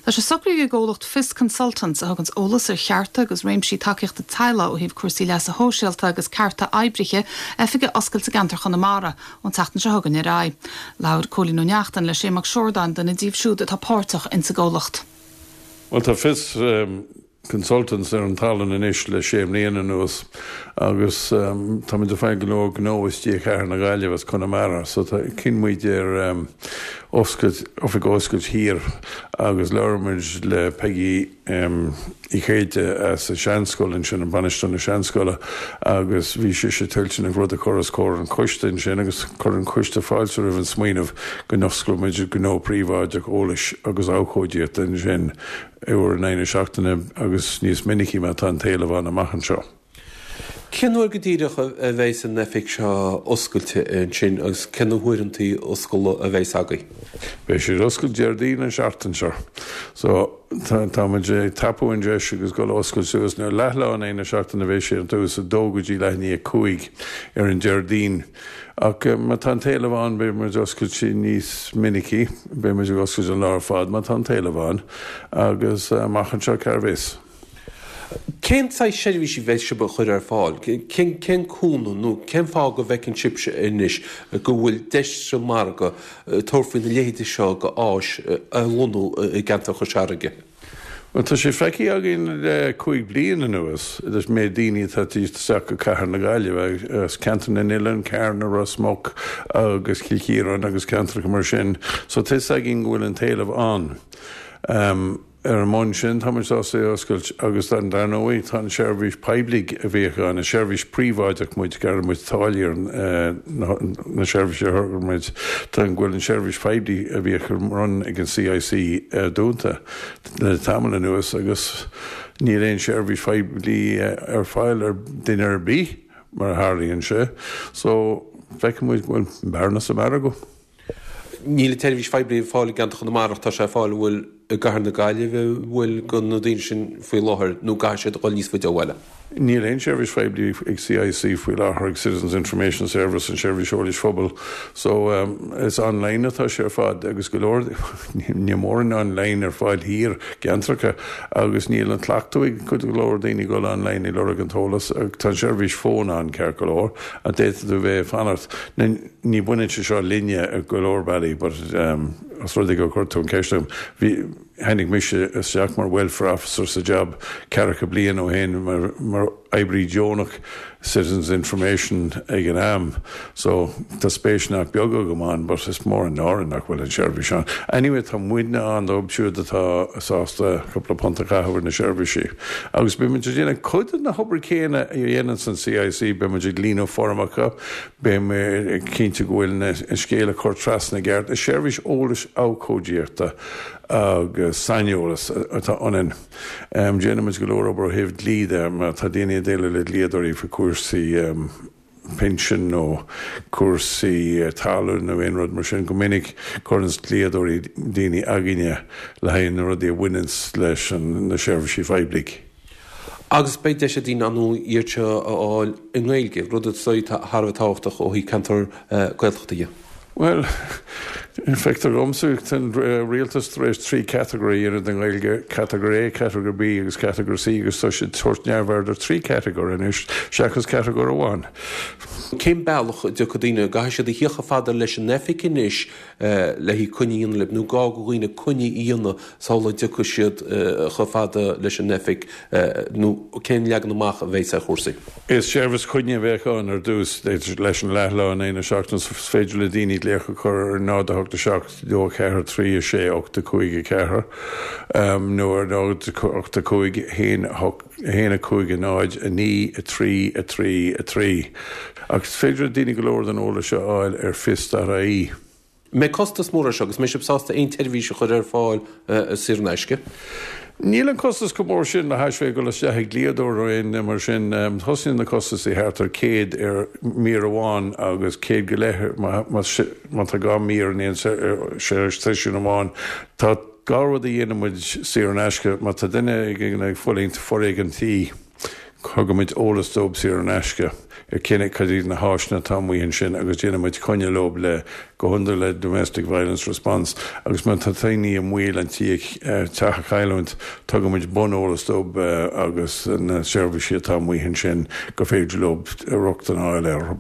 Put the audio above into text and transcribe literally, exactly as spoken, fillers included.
Tá sé socraithe ag an gcomhlacht Fios Consultants a thugann eolas ar chearta agus réimsí tacaíochta teaghlaigh ó thaobh cúrsaí leasa shóisialta agus cearta oibrithe oifig a oscailt i gceantar Chonamara ón tseachtain seo chugainn ar aghaidh. Labhair Cóilín Ó Neachtain le Sé Mac Siordáin duine díobh siúd atá páirteach insa gcomhlacht. Well tá Fios um, consultants ar an talamh anois le sé bliana anuas agus um, tá muid ag fáil go leor gnó isteach Cathair na Gaillimhe as Conamara, so tá chinn muid ar um, oscailt oifig oscailt thiar agus labhair muid le Peggy um, Uí Chéide as an Seanscoil ansin an bainisteoir na Seanscoile agus bhí sé sé toilteanach rud a chur os comhair an choiste ansin agus chuir an coiste fáilte roimh an smaoineamh go n-osclódh muid gnó príobháideach eolais agus abhcóideachta ansin uair in aghaidh na seachtaine agus níos minicí má tá an t-éileamh ann amach anseo. Cén uair go díreach a bheidh an oifig seo oscailte ansin agus cén uaireanta oscailte a bheidh agaibh. Beidh sé oscailte Déardaoin an seachtain seo. So tá muid ag tapú an deis agus go oscailt suas nó leathlá in aghaidh na seachtaine bheidh sé an tús a dó go dtí leath i ndiaidh a cúig ar an Déardaoin. Ach má tá an t-éileamh ann beidh muid oscailte níos minicí, beidh muid oscailte an lá ar fad má tá an t-éileamh ann agus amach anseo cá bhfios. Cén saghas seirbhísí bheidh sibh a chur ar fáil, cén cén cúnamh nó cén fáth go bhfeiceann sibhse anois go bhfuil deis sa mhargadh tabhairt faoi na leithéidí seo go áis a lonnú i gceantar Chois Fharraige. Well tá sé feicthe againn le cúig bliain anuas is méid daoine atá isteach go Cathair na Gaillimhe as Ceantar na nOileán, Carna, Ros Muc agus Cill Chiaráin agus ceantracha mar sin, so tá fhios againn go bhfuil an t-éileamh ann. Um, ar an mbonn sin tá sásta oscailt agus dan dar ndóigh tá an seirbhís poiblí a bhíodh ann an seirbhís príobháideach muid gearrann muid táillí ar na seirbhísí a muid tá an bhfuil an seirbhís poiblí a bhíodh run ag an CIC dúnta le tamall anuas agus níl aon seirbhís poiblí ar fáil ar duine ar bith mar a tharlaíonn sé, so feiceann muid bhfuil bearna sa mhargadh. Níl seirbhís phoiblí ar fáil i gceantar Chonamara tá sé ar fáil bhfuil i gCathair na Gaillimhe bhfuil go na daoine sin faoi láthair nó caithfidh siad dul níos faide ó bhaile. Níl aon seirbhís phoiblí ag CIC faoi láthair ag Citizens Information Service an seirbhís eolais phobail, so um, is online atá sé ar fad agus go leor ní mórán online ar fáil thiar i gceantracha agus níl an cleachtadh ag go leor daoine dul online i lorg an t-eolas tá an seirbhís fón ann ceart go leor a d'fhéadfadh tú bheith fanacht ní bhaineann sé seo linne go leor bealaí, but um, as rud go chuir tú an ceist bhí tháinig mise isteach mar welfare officer sa job ceathracha bliain ó shin mar, mar oibrí deonach Citizens Information ag an am. So tá spéis nach beag agam ann, but is mór an náire nach bhfuil an seirbhís ann. Anyway tá muidne ann dóibh siúd atá sásta cúpla punt a chaitheamh ar na seirbhísí. Agus beidh muid déanamh cuid na hobair céanna a dhéanann san CIC beidh muid ag líonadh foirmeacha, beidh cinnte go bhfuil an scéal á chur trasna i gceart, is seirbhís eolais abhcóideachta agus saineolas atá ionainn. Um, Déanaimid go leor obair ó thaobh dlí de má tá daoine ag déileáil le dlíodóirí faoi cúrsaí um, pinsean nó cúrsaí uh, talún nó aon rud mar sin go minic cuireann dlíodóirí daoine againne le haghaidh na rudaí a bhaineann leis an na seirbhísí poiblí. Agus beidh deis ag daoine an iad seo a fháil i nGaeilge, rud atá thar a bheith tábhachtach ó thaobh ceantar Gaeltachta. Well, feictear domsa an rialtas tar éis trí category ar den Ghaeilge category A, category B agus category C agus tá siad tabhairt neamhaird ar trí category anois seachas category amháin. Cén bealach a dtiocfaidh daoine caithfidh siad a theacht chomh fada leis an oifig anois le haghaidh coinne a dhéanamh libh nó gá do dhaoine coinne a dhéanamh sula dtiocfaidh siad chomh fada leis an oifig nó cén leagan amach a bheidh ar chúrsaí. Is seirbhís coinne a bheidh ann ar dtús leis an leathlá in aghaidh na seachtaine is féidir le daoine glaoch a chur ar náid a hocht a seacht dó ceathair trí a sé ocht a cúig a ceathair nó ar náid ocht a cúig haon haon a cúig a náid a naoi a trí a trí a trí. Agus is féidir daoine go leor den eolas seo a fháil ar fios.ie. Mbeidh costas mór seo agus mbeidh sibh sásta aon tseirbhís a chur ar fáil saor in aisce. Níl an costas chomh mór sin le hais bheith ag dul isteach ag dlíodóir aon mar sin tosaíonn na costais thart ar céad ar mír amháin agus céad go leith má tá dhá mír in aon seisiún amháin. Tá dhá rud a dhéanann muid saor in aisce má tá duine ag ag fulaingt foréigean tí. Tugaimid eolas dóibh saor in aisce ar cén cad iad na háiseanna atá amuigh ansin agus déanaimid coinne leo le go hiondúil le domestic violence response agus má tá daoine i mbaol an tí teach a chailliúint tugaimid buneolas dóibh agus na seirbhísí atá amuigh ansin go féidir leo rochtain a fháil air.